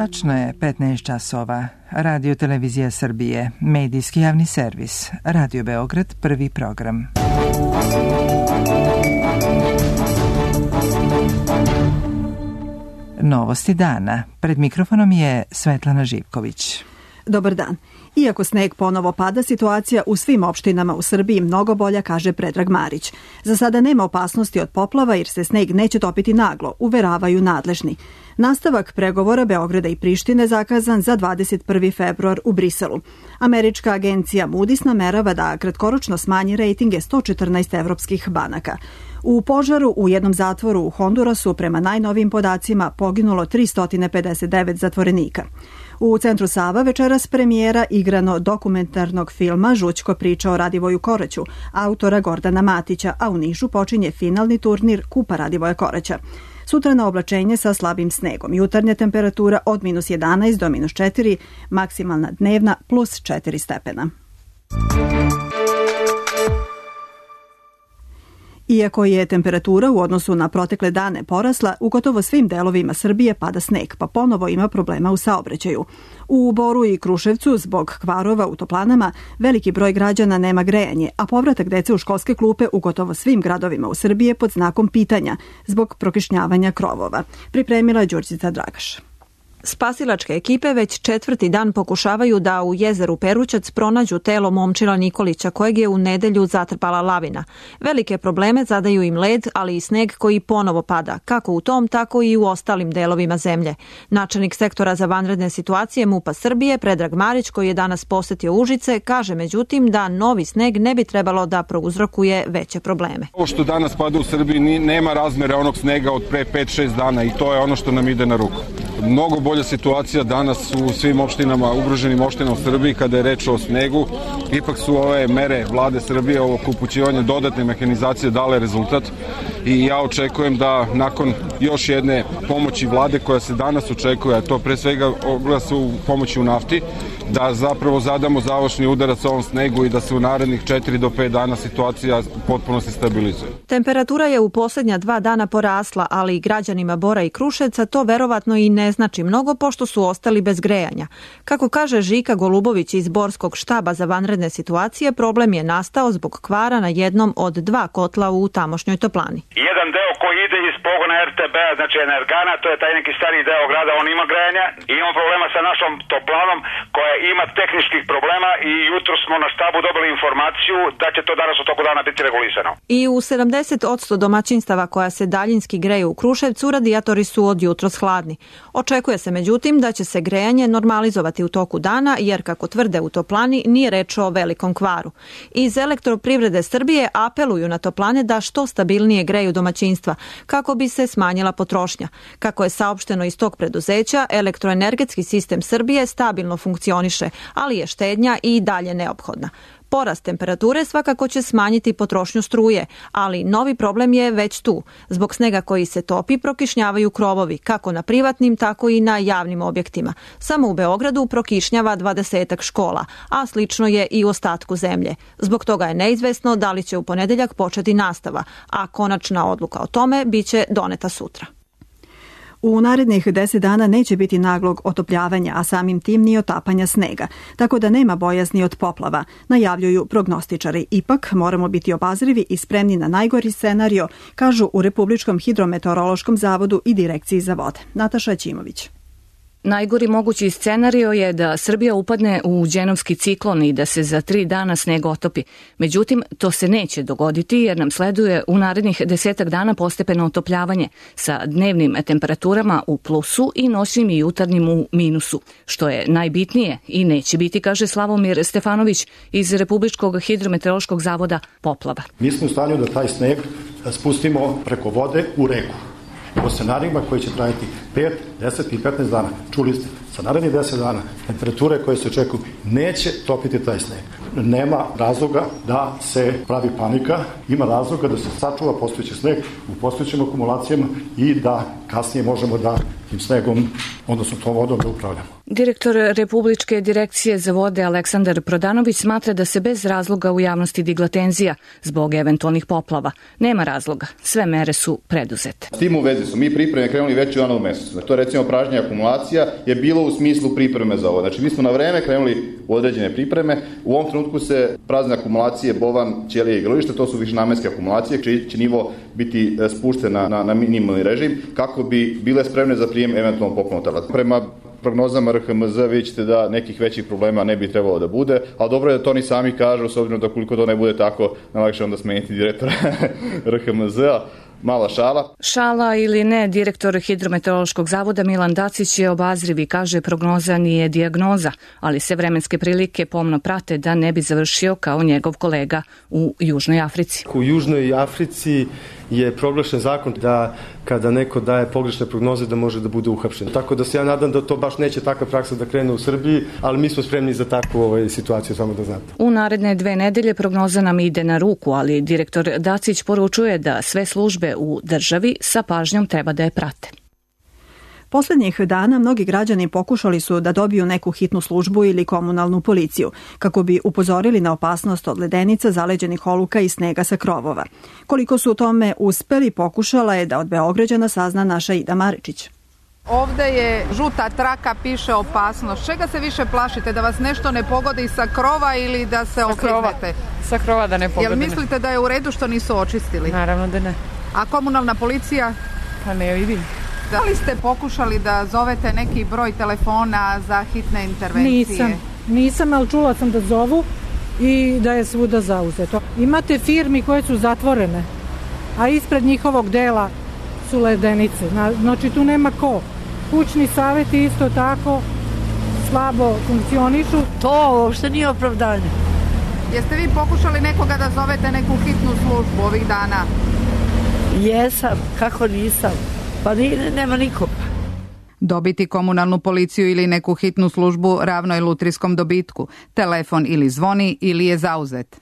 Tačno je 15 časova. Radio Televizija Srbije, medijski javni servis. Radio Beograd, prvi program. Novosti dana. Pred mikrofonom je Svetlana Živković. Dobar dan. Iako sneg ponovo pada, situacija u svim opštinama u Srbiji mnogo bolja, kaže Predrag Marić. Za sada nema opasnosti od poplava jer se sneg neće topiti naglo, uveravaju nadležni. Nastavak pregovora Beograda i Prištine zakazan za 21. februar u Briselu. Američka agencija Moody's namerava da kratkoročno smanji rejtinge 114 evropskih banaka. U požaru u jednom zatvoru u Hondurasu prema najnovijim podacima poginulo 359 zatvorenika. U centru Sava večeras premijera igrano dokumentarnog filma Žućko priča o Radivoju Koraću, autora Gordana Matića, a u Nišu počinje finalni turnir Kupa Radivoja Koraća. Sutra na oblačenje sa slabim snegom. Jutarnja temperatura od -11 do -4, maksimalna dnevna +4 stepena. Iako je temperatura u odnosu na protekle dane porasla, u gotovo svim delovima Srbije pada sneg, pa ponovo ima problema u saobraćaju. U Boru i Kruševcu, zbog kvarova u toplanama, veliki broj građana nema grejanje, a povratak dece u školske klupe u gotovo svim gradovima u Srbiji je pod znakom pitanja, zbog prokišnjavanja krovova. Pripremila je Đurđica Dragaš. Spasilačke ekipe već 4. dan pokušavaju da u jezeru Perućac pronađu telo momčila Nikolića, kojeg je u nedelju zatrpala lavina. Velike probleme zadaju im led, ali i sneg koji ponovo pada, kako u tom, tako i u ostalim delovima zemlje. Načelnik sektora za vanredne situacije MUP-a Srbije, Predrag Marić, koji je danas posetio Užice, kaže međutim da novi sneg ne bi trebalo da prouzrokuje veće probleme. Ovo što danas pada u Srbiji nema razmere onog snega od pre 5-6 dana i to je ono što nam ide na ruku. Mnogo bolja situacija danas u svim opštinama, ugroženim opštinama u Srbiji kada je reč o snegu. Ipak su ove mere vlade Srbije, ovo upućivanje dodatne mehanizacije dale rezultat i ja očekujem da nakon još jedne pomoći vlade koja se danas očekuje, a to pre svega oglasa u pomoći u nafti, da zapravo zadamo završni udarac ovom snegu i da se u narednih 4 do 5 dana situacija potpuno se stabilizuje. Temperatura je u posljednja 2 dana porasla, ali i građanima Bora i Kruševca to verovatno i ne znači mnogo, pošto su ostali bez grejanja. Kako kaže Žika Golubović iz Borskog štaba za vanredne situacije, problem je nastao zbog kvara na jednom od 2 kotla u tamošnjoj toplani. Jedan deo koji ide iz pogona RTB-a, znači Energana, to je taj neki stariji deo grada, on ima grejanja i imamo problema sa našom toplanom koja ima tehničkih problema i jutro smo na štabu dobili informaciju da će to danas u toku dana biti regulisano. I u 70% domaćinstava koja se daljinski greju u Kruševcu, radijatori su od jutros hladni. Očekuje se međutim da će se grejanje normalizovati u toku dana, jer kako tvrde u toplani nije reč o velikom kvaru. Iz Elektroprivrede Srbije apeluju na toplane da što stabilnije greju domaćinstva, kako bi se smanjila potrošnja. Kako je saopšteno iz tog preduzeća, elektroenergetski sistem Srbije stabilno funkcioniše, ali je štednja i dalje neophodna. Porast temperature svakako će smanjiti potrošnju struje, ali novi problem je već tu. Zbog snega koji se topi prokišnjavaju krovovi, kako na privatnim, tako i na javnim objektima. Samo u Beogradu prokišnjava 20 škola, a slično je i u ostatku zemlje. Zbog toga je neizvesno da li će u ponedeljak početi nastava, a konačna odluka o tome biće doneta sutra. U narednih 10 dana neće biti naglog otopljavanja, a samim tim ni otapanja snega, tako da nema bojazni od poplava, najavljuju prognostičari. Ipak moramo biti obazrivi i spremni na najgori scenario, kažu u Republičkom hidrometeorološkom zavodu i Direkciji za vode. Nataša Ćimović. Najgori mogući scenario je da Srbija upadne u dženovski ciklon i da se za 3 dana sneg otopi. Međutim, to se neće dogoditi jer nam sleduje u narednih 10 dana postepeno otopljavanje sa dnevnim temperaturama u plusu i noćnim i jutarnjim u minusu, što je najbitnije i neće biti, kaže Slavomir Stefanović iz Republičkog hidrometeorološkog zavoda, poplava. Mi smo u stanju da taj sneg spustimo preko vode u reku. Po scenarijima koji će trajati 5, 10 i 15 dana. Čuli ste, sa narednih 10 dana temperature koje se očekuju neće topiti taj sneg. Nema razloga da se pravi panika, ima razloga da se sačuva postojeći sneg u postojećim akumulacijama i da kasnije možemo da tim snegom, odnosno tom vodom, da upravljamo. Direktor Republičke direkcije za vode Aleksandar Prodanović smatra da se bez razloga u javnosti digla tenzija zbog eventualnih poplava. Nema razloga, sve mere su preduzete. S tim u vezi su mi pripreme krenuli već u januaru mesecu. To je recimo pražnje akumulacija je bilo u smislu pripreme za ovo. Znači mi smo na vreme krenuli u određene pripreme. U ovom trenutku se prazne akumulacije Bovan, Ćelije i Grovište, to su višenamenske akumulacije, čiji će nivo biti spušten na minimalni režim kako bi bile spremne za prijem eventualno poplavnog. Prema prognozama RHMZ vi ćete da nekih većih problema ne bi trebalo da bude, ali dobro je da to oni sami kažu, s obzirom da koliko to ne bude tako, najlakše onda smeniti direktora RHMZ-a. Mala šala. Šala ili ne, direktor Hidrometeorološkog zavoda Milan Dacić je obazriv i kaže prognoza nije dijagnoza, ali se vremenske prilike pomno prate da ne bi završio kao njegov kolega u Južnoj Africi. U Južnoj Africi je proglašen zakon da kada neko daje pogrešne prognoze da može da bude uhapšen. Tako da se ja nadam da to baš neće takva praksa da krene u Srbiji, ali mi smo spremni za takvu situaciju, samo da znate. U naredne 2 nedelje prognoza nam ide na ruku, ali direktor Dacić poručuje da sve službe u državi sa pažnjom treba da je prate. Poslednjih dana mnogi građani pokušali su da dobiju neku hitnu službu ili komunalnu policiju, kako bi upozorili na opasnost od ledenica, zaleđenih oluka i snega sa krovova. Koliko su u tome uspeli, pokušala je da od Beograđana sazna naša Ida Maričić. Ovde je žuta traka, piše opasnost. Čega se više plašite? Da vas nešto ne pogodi sa krova ili da se oklizmete? Sa krova da ne pogodi. Jel mislite da je u redu što nisu očistili? Naravno da ne. A komunalna policija? Pa ne vidim. Da li ste pokušali da zovete neki broj telefona za hitne intervencije? Nisam, ali čula sam da zovu i da je svuda zauzeto. Imate firmi koje su zatvorene, a ispred njihovog dela su ledenice. Znači tu nema ko. Kućni savjeti isto tako slabo funkcionišu. To uopšte nije opravdanje. Jeste vi pokušali nekoga da zovete neku hitnu službu ovih dana? Jesam, kako nisam. Pa nema nikoga. Dobiti komunalnu policiju ili neku hitnu službu ravno je lutrijskom dobitku. Telefon ili zvoni ili je zauzet.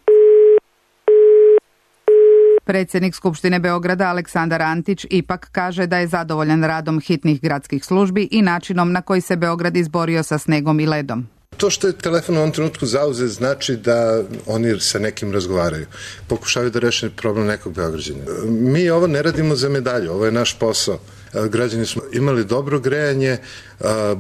Predsjednik Skupštine Beograda Aleksandar Antić ipak kaže da je zadovoljan radom hitnih gradskih službi i načinom na koji se Beograd izborio sa snegom i ledom. To što je telefon u ovom trenutku zauzet znači da oni sa nekim razgovaraju. Pokušavaju da reše problem nekog Beograđana. Mi ovo ne radimo za medalju, ovo je naš posao. Građani smo imali dobro grejanje,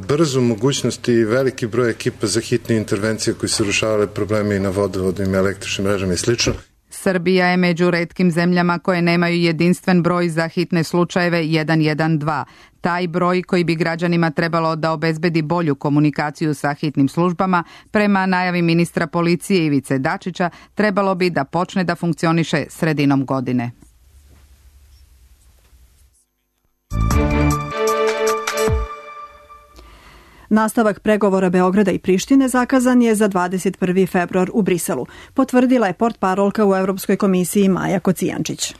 brzu mogućnost i veliki broj ekipa za hitne intervencije koji su rešavale probleme i na vodovodnim, električnim mrežama i slično. Srbija je među retkim zemljama koje nemaju jedinstven broj za hitne slučajeve 112. Taj broj koji bi građanima trebalo da obezbedi bolju komunikaciju sa hitnim službama, prema najavi ministra policije Ivice Dačića, trebalo bi da počne da funkcioniše sredinom godine. Nastavak pregovora Beograda i Prištine zakazan je za 21. februar u Briselu, potvrdila je portparolka u Evropskoj komisiji Maja Kocijančić.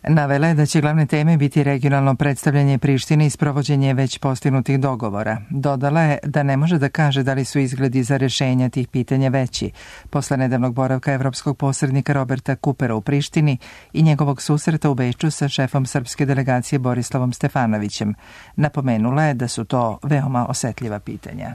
Navela je da će glavne teme biti regionalno predstavljanje Prištine i sprovođenje već postignutih dogovora. Dodala je da ne može da kaže da li su izgledi za rješenja tih pitanja veći, posle nedavnog boravka evropskog posrednika Roberta Kupera u Prištini i njegovog susreta u Beču sa šefom srpske delegacije Borislavom Stefanovićem. Napomenula je da su to veoma osetljiva pitanja.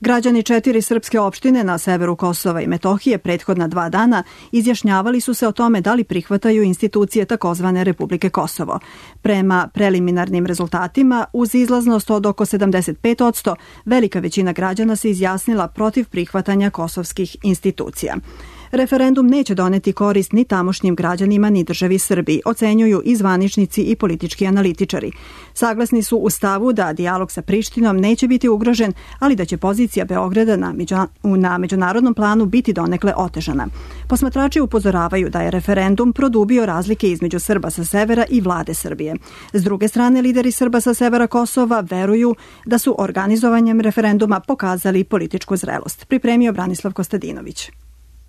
Građani 4 srpske opštine na severu Kosova i Metohije prethodna 2 dana izjašnjavali su se o tome da li prihvataju institucije takozvane Republike Kosovo. Prema preliminarnim rezultatima, uz izlaznost od oko 75%, velika većina građana se izjasnila protiv prihvatanja kosovskih institucija. Referendum neće doneti korist ni tamošnjim građanima ni državi Srbiji, ocenjuju i zvaničnici i politički analitičari. Saglasni su u stavu da dijalog sa Prištinom neće biti ugrožen, ali da će pozicija Beograda na međunarodnom planu biti donekle otežana. Posmatrači upozoravaju da je referendum produbio razlike između Srba sa severa i vlade Srbije. S druge strane, lideri Srba sa severa Kosova veruju da su organizovanjem referenduma pokazali političku zrelost. Pripremio Branislav Kostadinović.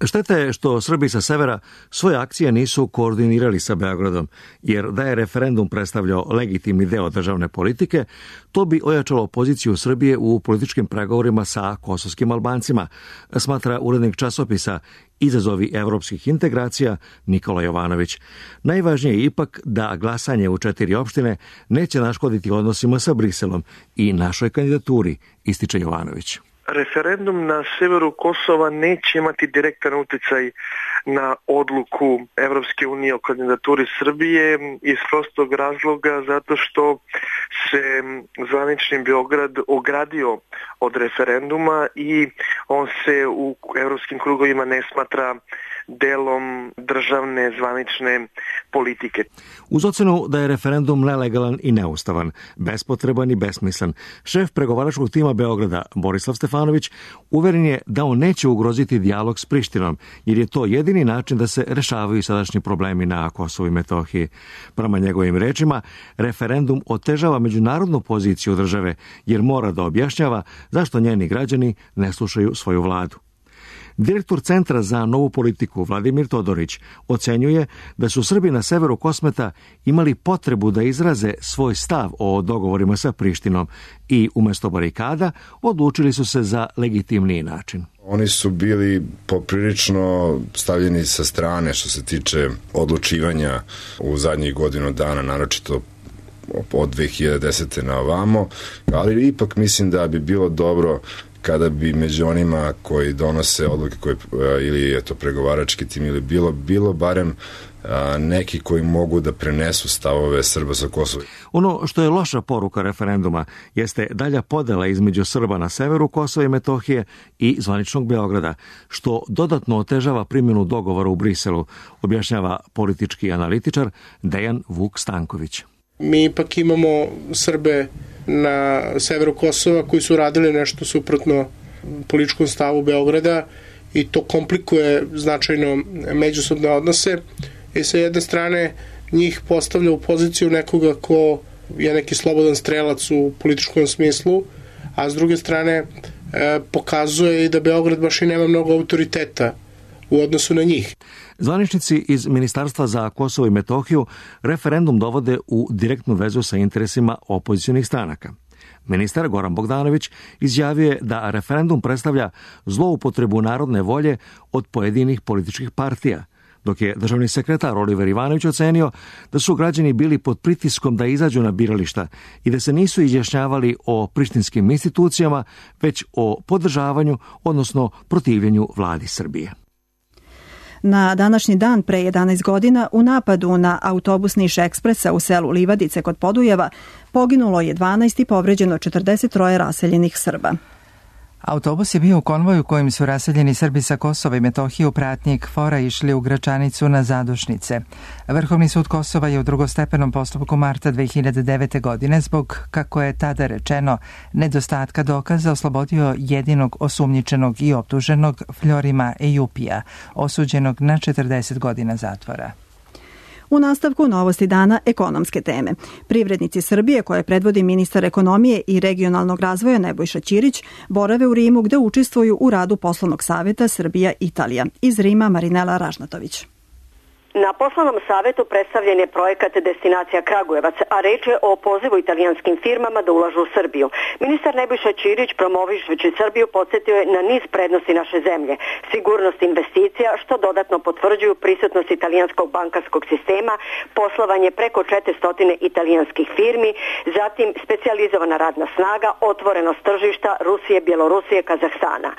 Šteta je što Srbi sa severa svoje akcije nisu koordinirali sa Beogradom, jer da je referendum predstavljao legitimni deo državne politike, to bi ojačalo poziciju Srbije u političkim pregovorima sa kosovskim Albancima, smatra urednik časopisa Izazovi evropskih integracija Nikola Jovanović. Najvažnije je ipak da glasanje u 4 opštine neće naškoditi odnosima sa Briselom i našoj kandidaturi, ističe Jovanović. Referendum na severu Kosova neće imati direktan uticaj na odluku Evropske unije o kandidaturi Srbije iz prostog razloga zato što se zvanični Beograd ogradio od referenduma i on se u evropskim krugovima ne smatra delom državne zvanične politike. Uz ocenu da je referendum nelegalan i neustavan, bespotreban i besmislen, šef pregovaračkog tima Beograda, Borislav Stefanović, uveren je da on neće ugroziti dijalog s Prištinom, jer je to jedini način da se rešavaju sadašnji problemi na Kosovu i Metohiji. Prema njegovim rečima, referendum otežava međunarodnu poziciju države, jer mora da objašnjava zašto njeni građani ne slušaju svoju vladu. Direktor Centra za novu politiku Vladimir Todorić ocenjuje da su Srbi na severu Kosmeta imali potrebu da izraze svoj stav o dogovorima sa Prištinom i umjesto barikada odlučili su se za legitimniji način. Oni su bili poprilično stavljeni sa strane što se tiče odlučivanja u zadnjih godinu dana, naročito od 2010. na ovamo, ali ipak mislim da bi bilo dobro kada bi među onima koji donose odluke ili je to pregovarački tim ili bilo barem neki koji mogu da prenesu stavove Srba sa Kosova. Ono što je loša poruka referenduma jeste dalja podela između Srba na severu Kosova i Metohije i zvaničnog Beograda, što dodatno otežava primjenu dogovora u Briselu, objašnjava politički analitičar Dejan Vuk Stanković. Mi ipak imamo Srbe na severu Kosova koji su radili nešto suprotno političkom stavu Beograda i to komplikuje značajno međusobne odnose i sa jedne strane njih postavlja u poziciju nekoga ko je neki slobodan strelac u političkom smislu, a s druge strane pokazuje i da Beograd baš i nema mnogo autoriteta u odnosu na njih. Zvaničnici iz Ministarstva za Kosovo i Metohiju referendum dovode u direktnu vezu sa interesima opozicionih stranaka. Ministar Goran Bogdanović izjavio je da referendum predstavlja zloupotrebu narodne volje od pojedinih političkih partija, dok je državni sekretar Oliver Ivanović ocenio da su građani bili pod pritiskom da izađu na birališta i da se nisu izjašnjavali o prištinskim institucijama, već o podržavanju, odnosno protivljenju vladi Srbije. Na današnji dan pre 11 godina u napadu na autobus Niš Ekspresa u selu Livadice kod Podujeva poginulo je 12 i povređeno 43 raseljenih Srba. Autobus je bio u konvoju kojim su raseljeni Srbi sa Kosova i Metohije u pratnji KFOR-a išli u Gračanicu na zadušnice. Vrhovni sud Kosova je u drugostepenom postupku marta 2009. godine zbog, kako je tada rečeno, nedostatka dokaza oslobodio jedinog osumnjičenog i optuženog Fljorima Ejupija, osuđenog na 40 godina zatvora. U nastavku novosti dana ekonomske teme. Privrednici Srbije, koje predvodi ministar ekonomije i regionalnog razvoja Nebojša Ćirić, borave u Rimu gde učestvuju u radu poslovnog saveta Srbija-Italija. Iz Rima Marinela Ražnatović. Na poslovnom savetu predstavljen je projekat Destinacija Kragujevac, a reč je o pozivu italijanskim firmama da ulažu u Srbiju. Ministar Nebojša Ćirić, promovišući Srbiju, podsjetio je na niz prednosti naše zemlje, sigurnost investicija, što dodatno potvrđuju prisutnost italijanskog bankarskog sistema, poslovanje preko 400 italijanskih firmi, zatim specijalizovana radna snaga, otvorenost tržišta Rusije, Bjelorusije, Kazahstana.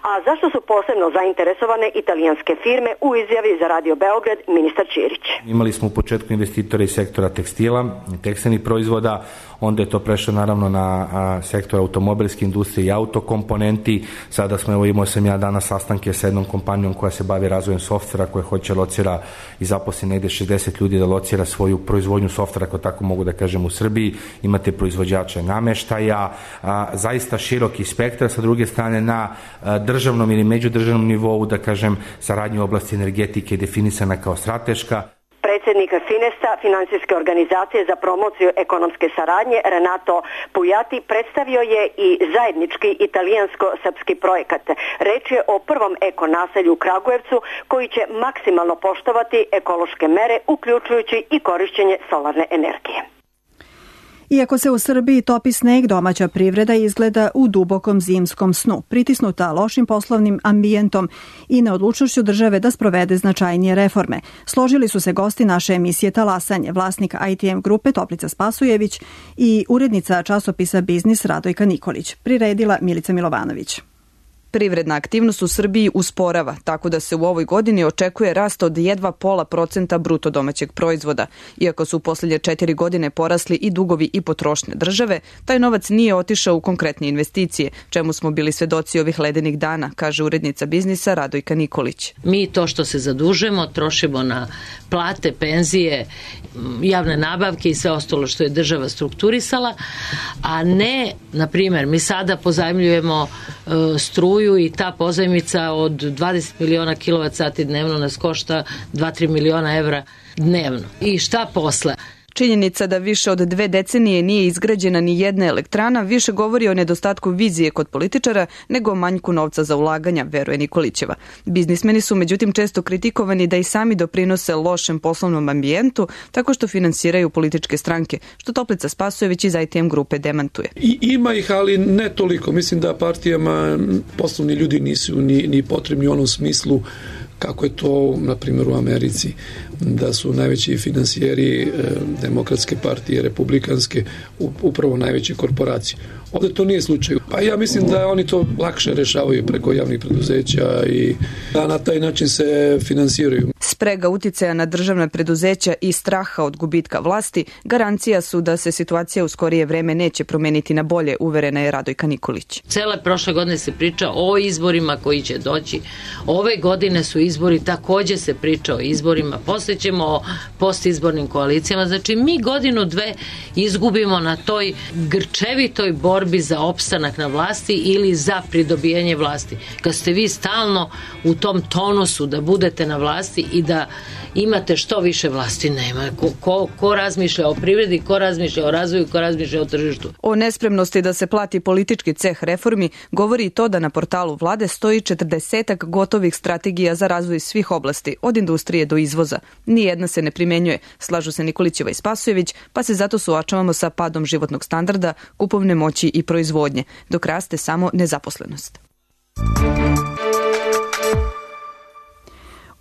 A zašto su posebno zainteresovane italijanske firme u izjavi za Radio Beograd ministar Ćirić. Imali smo u početku investitore iz sektora tekstila, tekstilnih proizvoda, onda je to prešlo naravno na sektor automobilske industrije i autokomponenti. Sada smo, imao sam ja danas sastanke sa jednom kompanijom koja se bavi razvojem softvera, koja hoće locira i zaposli negde 60 ljudi da locira svoju proizvodnju softvera, ako tako mogu da kažem, u Srbiji. Imate proizvođače nameštaja, zaista široki spektar. Sa druge strane, na državnom ili međudržavnom nivou, da kažem, saradnja u oblasti energetike je definisana kao strateška. Predsjednik Finesta, Financijske organizacije za promociju ekonomske saradnje, Renato Pujati, predstavio je i zajednički italijansko-srpski projekat. Reč je o prvom eko-naselju u Kragujevcu koji će maksimalno poštovati ekološke mere, uključujući i korišćenje solarne energije. Iako se u Srbiji topi sneg, domaća privreda izgleda u dubokom zimskom snu, pritisnuta lošim poslovnim ambijentom i neodlučnošću države da sprovede značajnije reforme. Složili su se gosti naše emisije Talasanje, vlasnik ITM grupe Toplica Spasujević i urednica časopisa Biznis Radojka Nikolić. Priredila Milica Milovanović. Privredna aktivnost u Srbiji usporava, tako da se u ovoj godini očekuje rast od jedva 0,5% bruto domaćeg proizvoda. Iako su u posljednje 4 godine porasli i dugovi i potrošnje države, taj novac nije otišao u konkretne investicije, čemu smo bili svedoci ovih ledenih dana, kaže urednica Biznisa Radojka Nikolić. Mi to što se zadužujemo trošimo na plate, penzije, javne nabavke i sve ostalo što je država strukturisala, a ne, na primjer, mi sada pozajmljujemo struju i ta pozajmica od 20 miliona kWh dnevno nas košta 2-3 miliona evra dnevno. I šta posle? Činjenica da više od 2 decenije nije izgrađena ni jedna elektrana više govori o nedostatku vizije kod političara nego o manjku novca za ulaganja, veruje Nikolićeva. Biznismeni su međutim često kritikovani da i sami doprinose lošem poslovnom ambijentu tako što finansiraju političke stranke, što Toplica Spasojević iz ITM grupe demantuje. I ima ih, ali ne toliko. Mislim da partijama poslovni ljudi nisu ni potrebni u onom smislu kako je to, na primjer, u Americi, da su najveći finansijeri demokratske partije, republikanske, upravo najveće korporacije. Ovdje to nije slučaj. Pa ja mislim da oni to lakše rešavaju preko javnih preduzeća i da na taj način se finansiraju. Sprega uticaja na državna preduzeća i straha od gubitka vlasti garancija su da se situacija u skorije vreme neće promeniti na bolje, uverena je Radojka Nikolić. Cele prošle godine se priča o izborima koji će doći. Ove godine su izbori, takođe se priča o izborima, posle ćemo o postizbornim koalicijama. Znači mi 1-2 izgubimo na toj grčevitoj borbi za opstanak na vlasti ili za pridobijanje vlasti. Kad ste vi stalno u tom tonusu da budete na vlasti i da imate što više vlasti, nema. Ko razmišlja o privredi, ko razmišlja o razvoju, ko razmišlja o tržištu. O nespremnosti da se plati politički ceh reformi govori i to da na portalu vlade stoji 40 gotovih strategija za razvoj svih oblasti, od industrije do izvoza. Nijedna se ne primenjuje, slažu se Nikolićeva i Spasojević, pa se zato suočavamo sa padom životnog standarda, kupovne moći i proizvodnje, dok raste samo nezaposlenost.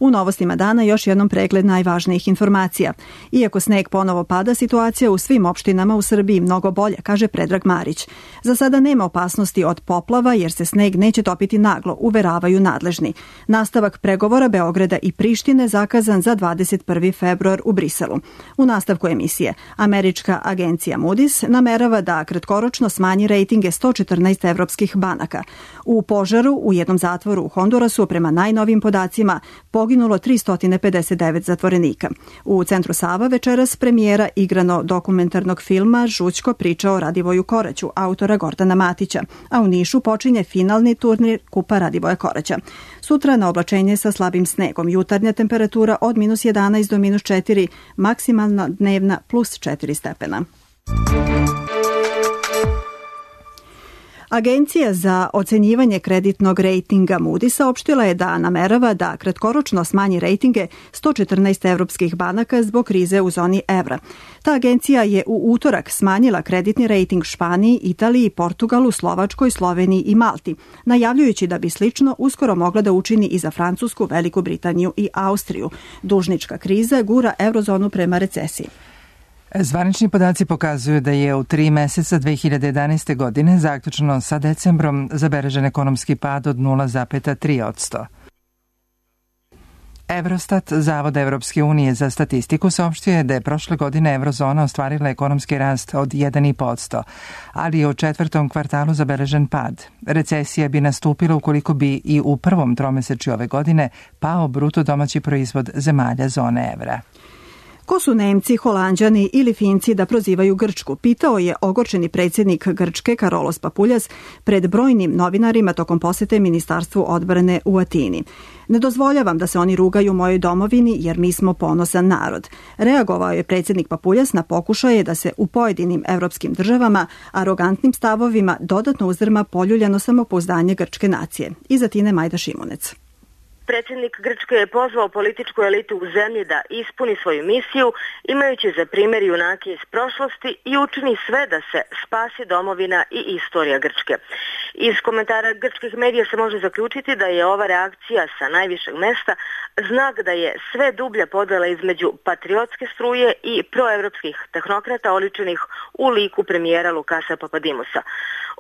U novostima dana još jednom pregled najvažnijih informacija. Iako sneg ponovo pada, situacija u svim opštinama u Srbiji mnogo bolja, kaže Predrag Marić. Za sada nema opasnosti od poplava jer se sneg neće topiti naglo, uveravaju nadležni. Nastavak pregovora Beograda i Prištine zakazan za 21. februar u Briselu. U nastavku emisije, američka agencija Moody's namerava da kratkoročno smanji rejtinge 114 evropskih banaka. U požaru u jednom zatvoru u Hondurasu, prema najnovim podacima, poginulo 359 zatvorenika. U Centru Sava večeras premijera igrano dokumentarnog filma Žućko priča o Radivoju Koraću, autora Gordana Matića, a u Nišu počinje finalni turnir Kupa Radivoja Koraća. Sutra na oblačenje sa slabim snegom, jutarnja temperatura od -11 do -4, maksimalna dnevna +4 stepena. Agencija za ocenjivanje kreditnog rejtinga Moody's saopštila je da namerava da kratkoročno smanji rejtinge 114 evropskih banaka zbog krize u zoni evra. Ta agencija je u utorak smanjila kreditni rejting Španiji, Italiji, Portugalu, Slovačkoj, Sloveniji i Malti, najavljujući da bi slično uskoro mogla da učini i za Francusku, Veliku Britaniju i Austriju. Dužnička kriza gura eurozonu prema recesiji. Zvanični podaci pokazuju da je u 3 meseca 2011. godine, zaključno sa decembrom, zabeležen ekonomski pad od 0,3%. Eurostat, Zavod Evropske unije za statistiku, saopštio je da je prošle godine eurozona ostvarila ekonomski rast od 1,5%, ali je u 4. kvartalu zabeležen pad. Recesija bi nastupila ukoliko bi i u prvom tromesečju ove godine pao bruto domaći proizvod zemalja zone evra. Ko su Nemci, Holanđani ili Finci da prozivaju Grčku, pitao je ogorčeni predsjednik Grčke Karolos Papuljas pred brojnim novinarima tokom posete Ministarstvu odbrane u Atini. Ne dozvoljavam da se oni rugaju mojoj domovini jer mi smo ponosan narod. Reagovao je predsjednik Papuljas na pokušaje da se u pojedinim evropskim državama arogantnim stavovima dodatno uzdrma poljuljano samopouzdanje grčke nacije. Iz Atine Majda Šimunec. Predsjednik Grčke je pozvao političku elitu u zemlji da ispuni svoju misiju, imajući za primjer junake iz prošlosti i učini sve da se spasi domovina i istorija Grčke. Iz komentara grčkih medija se može zaključiti da je ova reakcija sa najvišeg mesta znak da je sve dublja podjela između patriotske struje i proevropskih tehnokrata oličenih u liku premijera Lukasa Papadimusa.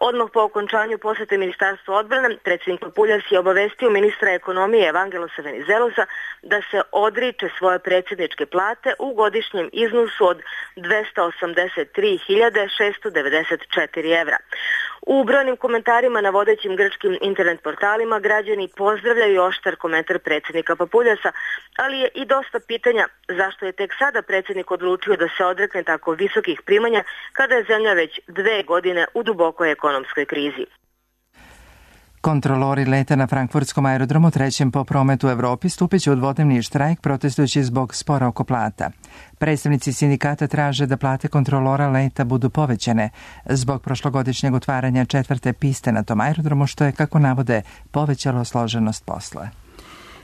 Odmah po okončanju posjete Ministarstva odbrane, predsjednik Papuljas je obavestio ministra ekonomije Evangelosa Venizelosa da se odriče svoje predsjedničke plate u godišnjem iznosu od 283.694 evra. U brojnim komentarima na vodećim grčkim internet portalima građani pozdravljaju oštar komentar predsjednika Papuljasa, ali je i dosta pitanja zašto je tek sada predsjednik odlučio da se odrekne tako visokih primanja kada je zemlja već 2 godine u dubokoj ekonomskoj krizi. Kontrolori leta na frankfurtskom aerodromu trećem po prometu u Evropi stupit će u dvodnevni štrajk protestujući zbog spora oko plata. Predstavnici sindikata traže da plate kontrolora leta budu povećane zbog prošlogodišnjeg otvaranja 4. piste na tom aerodromu, što je, kako navode, povećalo složenost posla.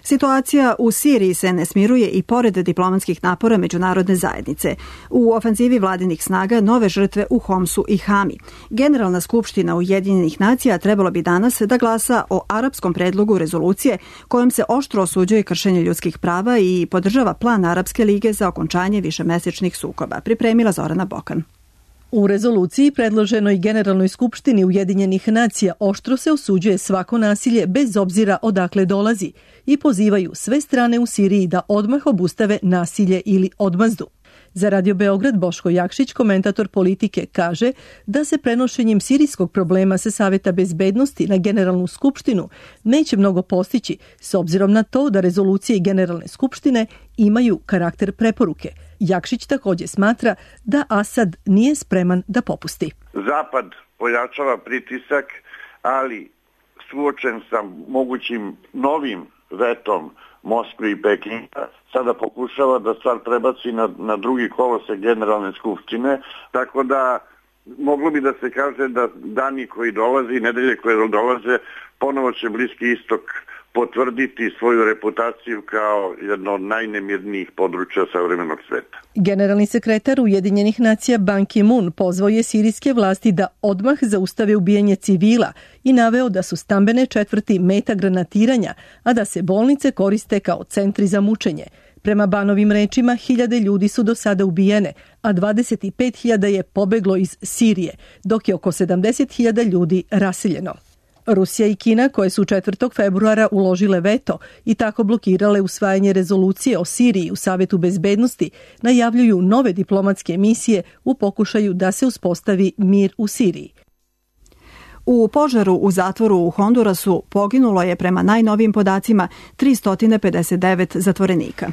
Situacija u Siriji se ne smiruje i pored diplomatskih napora međunarodne zajednice. U ofanzivi vladinih snaga nove žrtve u Homsu i Hami. Generalna skupština Ujedinjenih nacija trebalo bi danas da glasa o arapskom predlogu rezolucije kojom se oštro osuđuje kršenje ljudskih prava i podržava plan Arapske lige za okončanje višemesečnih sukoba. Pripremila Zorana Bokan. U rezoluciji predloženoj Generalnoj skupštini Ujedinjenih nacija oštro se osuđuje svako nasilje bez obzira odakle dolazi i pozivaju sve strane u Siriji da odmah obustave nasilje ili odmazdu. Za Radio Beograd Boško Jakšić, komentator politike, kaže da se prenošenjem sirijskog problema sa Saveta bezbednosti na Generalnu skupštinu neće mnogo postići, s obzirom na to da rezolucije Generalne skupštine imaju karakter preporuke. Jakšić također smatra da Asad nije spreman da popusti. Zapad pojačava pritisak, ali suočen sa mogućim novim vetom Moskve i Pekinga, sada pokušava da stvar prebaci na drugi kolosek Generalne skupštine, tako da moglo bi da se kaže da dani koji dolaze i nedelje koje dolaze ponovo će Bliski istok potvrditi svoju reputaciju kao jedno od najnemirnijih područja savremenog sveta. Generalni sekretar Ujedinjenih nacija Ban Ki-moon pozvao je sirijske vlasti da odmah zaustave ubijanje civila i naveo da su stambene četvrti meta granatiranja, a da se bolnice koriste kao centri za mučenje. Prema Banovim rečima, 1000 ljudi su do sada ubijene, a 25.000 je pobeglo iz Sirije, dok je oko 70.000 ljudi raseljeno. Rusija i Kina, koje su 4. februara uložile veto i tako blokirale usvajanje rezolucije o Siriji u Savetu bezbednosti, najavljuju nove diplomatske misije u pokušaju da se uspostavi mir u Siriji. U požaru u zatvoru u Hondurasu poginulo je prema najnovijim podacima 359 zatvorenika.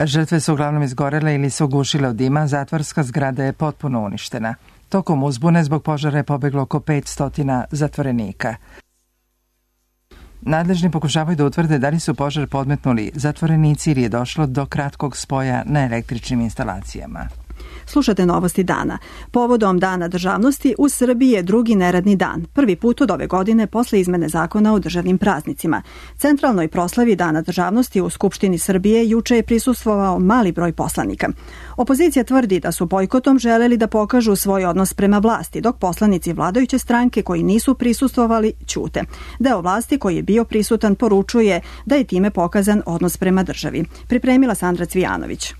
Žrtve su uglavnom izgorele ili se ugušile od dima, zatvorska zgrada je potpuno uništena. Tokom uzbune zbog požara je pobeglo oko 500 zatvorenika. Nadležni pokušavaju da utvrde da li su požar podmetnuli zatvorenici ili je došlo do kratkog spoja na električnim instalacijama. Slušate novosti dana. Povodom Dana državnosti u Srbiji je drugi neradni dan. Prvi put od ove godine posle izmene zakona o državnim praznicima. Centralnoj proslavi Dana državnosti u Skupštini Srbije juče je prisustvovao mali broj poslanika. Opozicija tvrdi da su bojkotom želeli da pokažu svoj odnos prema vlasti, dok poslanici vladajuće stranke koji nisu prisustvovali ćute. Deo vlasti koji je bio prisutan poručuje da je time pokazan odnos prema državi. Pripremila Sandra Cvijanović.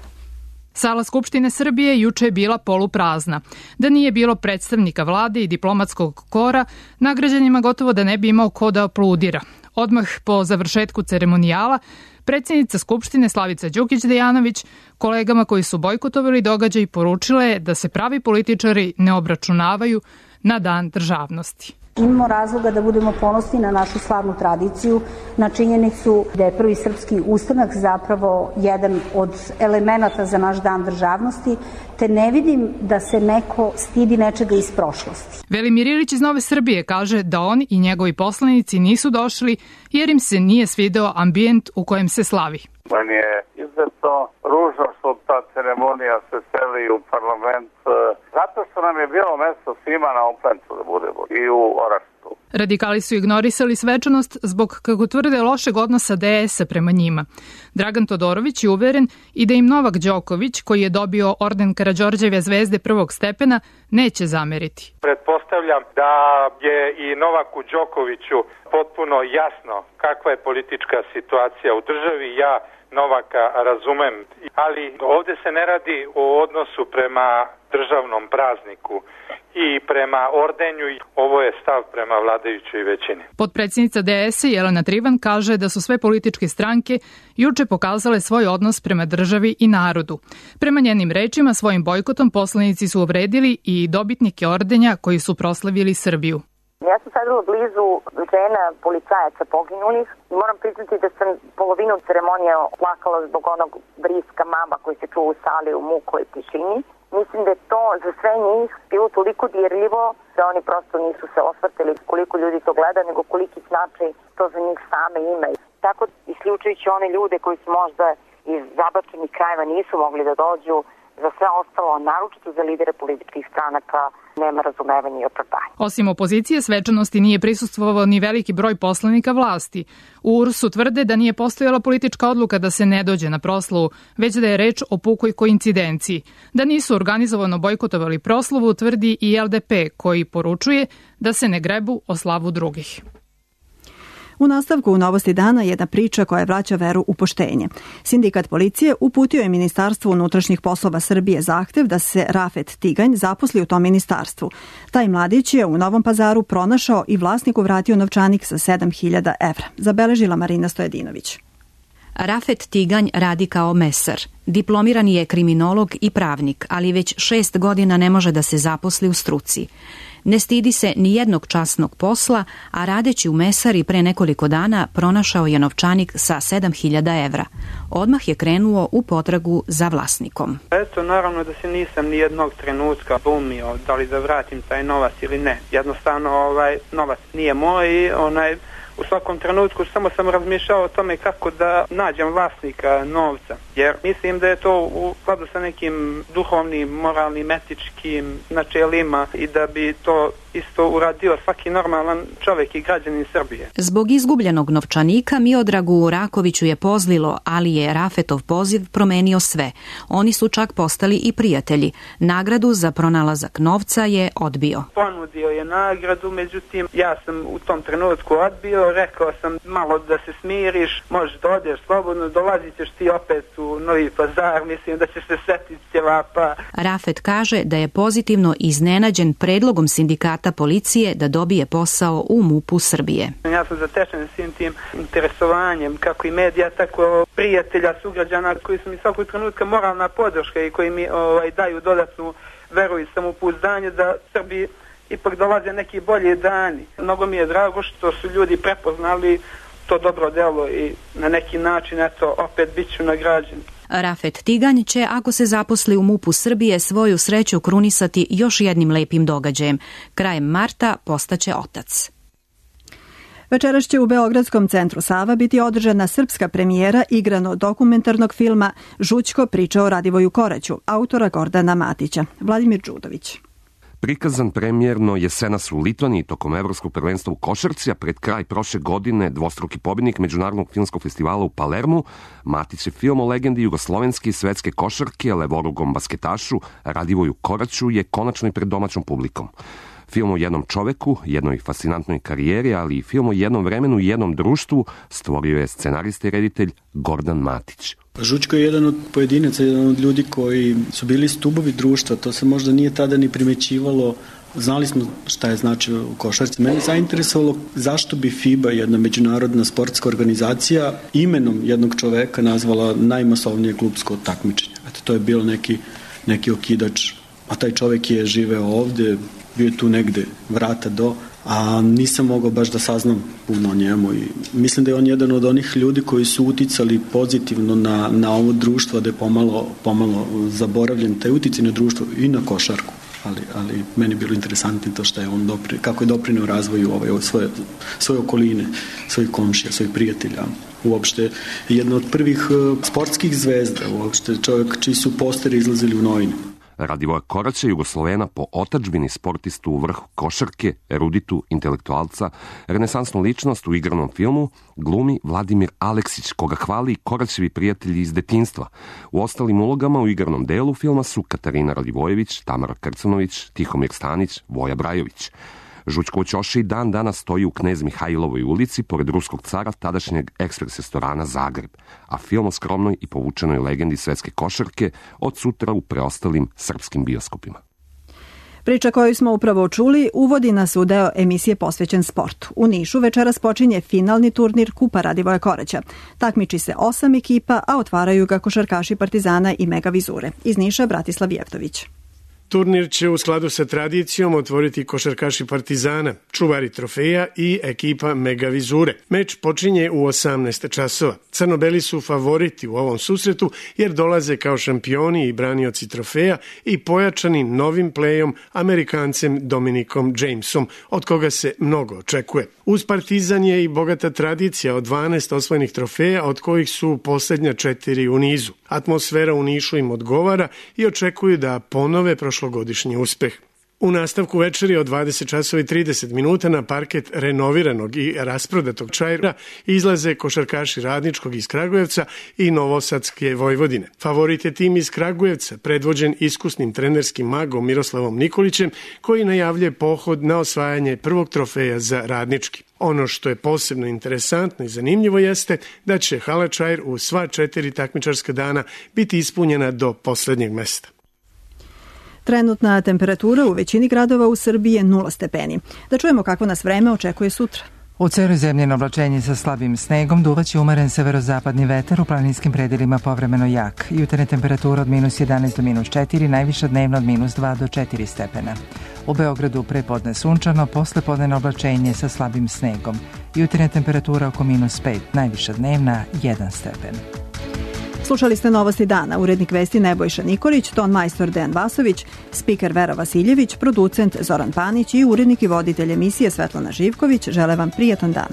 Sala Skupštine Srbije juče je bila poluprazna. Da nije bilo predstavnika vlade i diplomatskog kora, nagrađenima gotovo da ne bi imao ko da aplaudira. Odmah po završetku ceremonijala, predsjednica Skupštine Slavica Đukić-Dejanović kolegama koji su bojkotovali događaj poručila je da se pravi političari ne obračunavaju na Dan državnosti. Imamo razloga da budemo ponosni na našu slavnu tradiciju, na činjenicu da je prvi srpski ustanak zapravo jedan od elemenata za naš dan državnosti, te ne vidim da se neko stidi nečega iz prošlosti. Velimir Ilić iz Nove Srbije kaže da on i njegovi poslanici nisu došli jer im se nije svideo ambijent u kojem se slavi. Meni je izuzetno ružno što ta ceremonija se seli u parlament, zato što nam je bilo mesto svima na Oplencu da budemo i u Orašcu. Radikali su ignorisali svečanost zbog, kako tvrde, lošeg odnosa DS-a prema njima. Dragan Todorović je uveren i da im Novak Đoković, koji je dobio orden Karađorđeve zvezde prvog stepena, neće zameriti. Pretpostavljam da je i Novaku Đokoviću potpuno jasno kakva je politička situacija u državi. Ja Novaka razumem, ali ovde se ne radi o odnosu prema državnom prazniku i prema ordenju. Ovo je stav prema vladajućoj većini. Potpredsjednica DS-a Jelena Trivan kaže da su sve političke stranke juče pokazale svoj odnos prema državi i narodu. Prema njenim rečima, svojim bojkotom poslanici su uvredili i dobitnike ordenja koji su proslavili Srbiju. Ja sam sedela blizu žena policajaca poginulih i moram priznati da sam polovinu ceremonije plakala zbog onog vriska mama koji se čuo u sali u mukoj tišini. Mislim da je to za sve njih bilo toliko dirljivo da oni prosto nisu se osvrtili koliko ljudi to gleda, nego koliki značaj to za njih same ima. Tako, isključujući one ljude koji su možda iz zabačenih krajeva nisu mogli da dođu, za sve ostalo, naročito za lidere političkih stranaka, nema razumevanja i opravdanja. Osim opozicije, svečanosti nije prisustvovao ni veliki broj poslanika vlasti. U URS-u tvrde da nije postojala politička odluka da se ne dođe na proslavu, već da je reč o pukoj koincidenciji. Da nisu organizovano bojkotovali proslavu, tvrdi i LDP, koji poručuje da se ne grebu o slavu drugih. U nastavku u Novosti dana jedna priča koja vraća veru u poštenje. Sindikat policije uputio je Ministarstvu unutrašnjih poslova Srbije zahtev da se Rafet Tiganj zaposli u tom ministarstvu. Taj mladić je u Novom Pazaru pronašao i vlasniku vratio novčanik sa 7.000 evra. Zabeležila Marina Stojedinović. Rafet Tiganj radi kao mesar. Diplomirani je kriminolog i pravnik, ali već 6 godina ne može da se zaposli u struci. Ne stidi se ni jednog časnog posla, a radeći u mesari pre nekoliko dana pronašao je novčanik sa 7.000 evra. Odmah je krenuo u potragu za vlasnikom. Eto, naravno da se nisam ni jednog trenutka bumio da li da vratim taj novac ili ne. Jednostavno, novac nije moj i u svakom trenutku samo sam razmišljao o tome kako da nađem vlasnika novca. Jer mislim da je to u skladu sa nekim duhovnim, moralnim, etičkim načelima i da bi to isto uradio svaki normalan čovjek i građanin Srbije. Zbog izgubljenog novčanika Miodragu Rakoviću je pozlilo, ali je Rafetov poziv promenio sve. Oni su čak postali i prijatelji. Nagradu za pronalazak novca je odbio. Ponudio je nagradu, međutim ja sam u tom trenutku odbio, rekao sam malo da se smiriš, možeš da odeš slobodno, dolazit ćeš ti opet u Novi Pazar, mislim da će se setiti ćevapa. Rafet kaže da je pozitivno iznenađen predlogom sindikata policije da dobije posao u MUP-u Srbije. Ja sam zatečen svim tim interesovanjem, kako i medija, tako prijatelja, sugrađana koji su mi svakog trenutka moralna podrška i koji mi daju dodatnu veru i samopouzdanje da Srbiji ipak dolaze neki bolji dani. Mnogo mi je drago što su ljudi prepoznali to dobro delo i na neki način, opet bit ću nagrađen. Rafet Tiganj će, ako se zaposli u MUP-u Srbije, svoju sreću krunisati još jednim lepim događajem. Krajem marta postaće otac. Večeras će u Beogradskom centru Sava biti održana srpska premijera igrano-dokumentarnog filma Žućko priča o Radivoju Koraću, autora Gordana Matića. Vladimir Đudović. Prikazan premijerno jesenas u Litvaniji tokom Evropskog prvenstva u košarci, a pred kraj prošle godine dvostruki pobjednik Međunarodnog filmskog festivala u Palermu, Matić je film o legendi jugoslovenske i svetske košarke, levorugom basketašu Radivoju Koraću je konačno i pred domaćom publikom. Film o jednom čoveku, jednoj fascinantnoj karijeri, ali i film o jednom vremenu i jednom društvu stvorio je scenarista i reditelj Gordan Matić. Žućko je jedan od pojedinaca, jedan od ljudi koji su bili stubovi društva, to se možda nije tada ni primećivalo. Znali smo šta je značio u košarci. Mene je zainteresovalo zašto bi FIBA, jedna međunarodna sportska organizacija, imenom jednog čoveka nazvala najmasovnije klupsko takmičenje. To je bilo neki okidač, a taj čovek je živeo ovde, bio je tu negde vrata do, a nisam mogao baš da saznam puno o njemu i mislim da je on jedan od onih ljudi koji su uticali pozitivno na ovo društvo, da je pomalo zaboravljen taj uticaj na društvo i na košarku. Ali meni je bilo interesantno to što je on kako je doprineo razvoju svoje okoline, svojih komšija, svojih prijatelja. Uopšte jedna od prvih sportskih zvezda, uopšte čovjek čiji su posteri izlazili u novine. Radivoja Koraća, Jugoslovena po otadžbini, sportistu u vrhu košarke, eruditu, intelektualca, renesansnu ličnost u igranom filmu, glumi Vladimir Aleksić, koga hvali Koraćevi prijatelji iz detinjstva. U ostalim ulogama u igranom delu filma su Katarina Radivojević, Tamara Krcunović, Tihomir Stanić, Voja Brajović. Žućkovo ćoše i dan danas stoji u Knez Mihajlovoj ulici, pored ruskog cara, tadašnjeg ekspres restorana Zagreb, a film o skromnoj i povučenoj legendi svetske košarke od sutra u preostalim srpskim bioskopima. Priča koju smo upravo čuli uvodi nas u deo emisije posvećen sportu. U Nišu večeras počinje finalni turnir Kupa Radivoja Koraća. Takmiči se 8 ekipa, a otvaraju ga košarkaši Partizana i Mega Vizure. Iz Niša Bratislav Jeftović. Turnir će u skladu sa tradicijom otvoriti košarkaši Partizana, čuvari trofeja i ekipa Mega Vizure. Meč počinje u 18 časova. Crnobeli su favoriti u ovom susretu jer dolaze kao šampioni i branioci trofeja i pojačani novim plejom Amerikancem Dominikom Jamesom, od koga se mnogo očekuje. Uz Partizan je i bogata tradicija od 12 osvojenih trofeja, od kojih su posljednja 4 u nizu. Atmosfera u Nišu im odgovara i očekuju da ponove prošlogodišnji uspeh. U nastavku večeri od 20 časova i 30 minuta na parket renoviranog i rasprodatog Čaira izlaze košarkaši Radničkog iz Kragujevca i Novosadske Vojvodine. Favorit je tim iz Kragujevca, predvođen iskusnim trenerskim magom Miroslavom Nikolićem, koji najavlje pohod na osvajanje prvog trofeja za Radnički. Ono što je posebno interesantno i zanimljivo jeste da će hala Čair u sva 4 takmičarska dana biti ispunjena do poslednjeg mesta. Trenutna temperatura u većini gradova u Srbiji je 0 stepeni. Da čujemo kako nas vreme očekuje sutra. U celoj zemlji na oblačenje sa slabim snegom duvaće umeren severozapadni vetar, u planinskim predelima povremeno jak. Jutarnja temperatura od -11 do -4, najviša dnevna od -2 do 4 stepena. U Beogradu prepodne sunčano, posle podne oblačenje sa slabim snegom. Jutarnja temperatura oko -5, najviša dnevna 1 stepen. Slušali ste Novosti dana, urednik vesti Nebojša Nikolić, ton majstor Dejan Vasović, spiker Vera Vasiljević, producent Zoran Panić i urednik i voditelj emisije Svetlana Živković. Žele vam prijatan dan.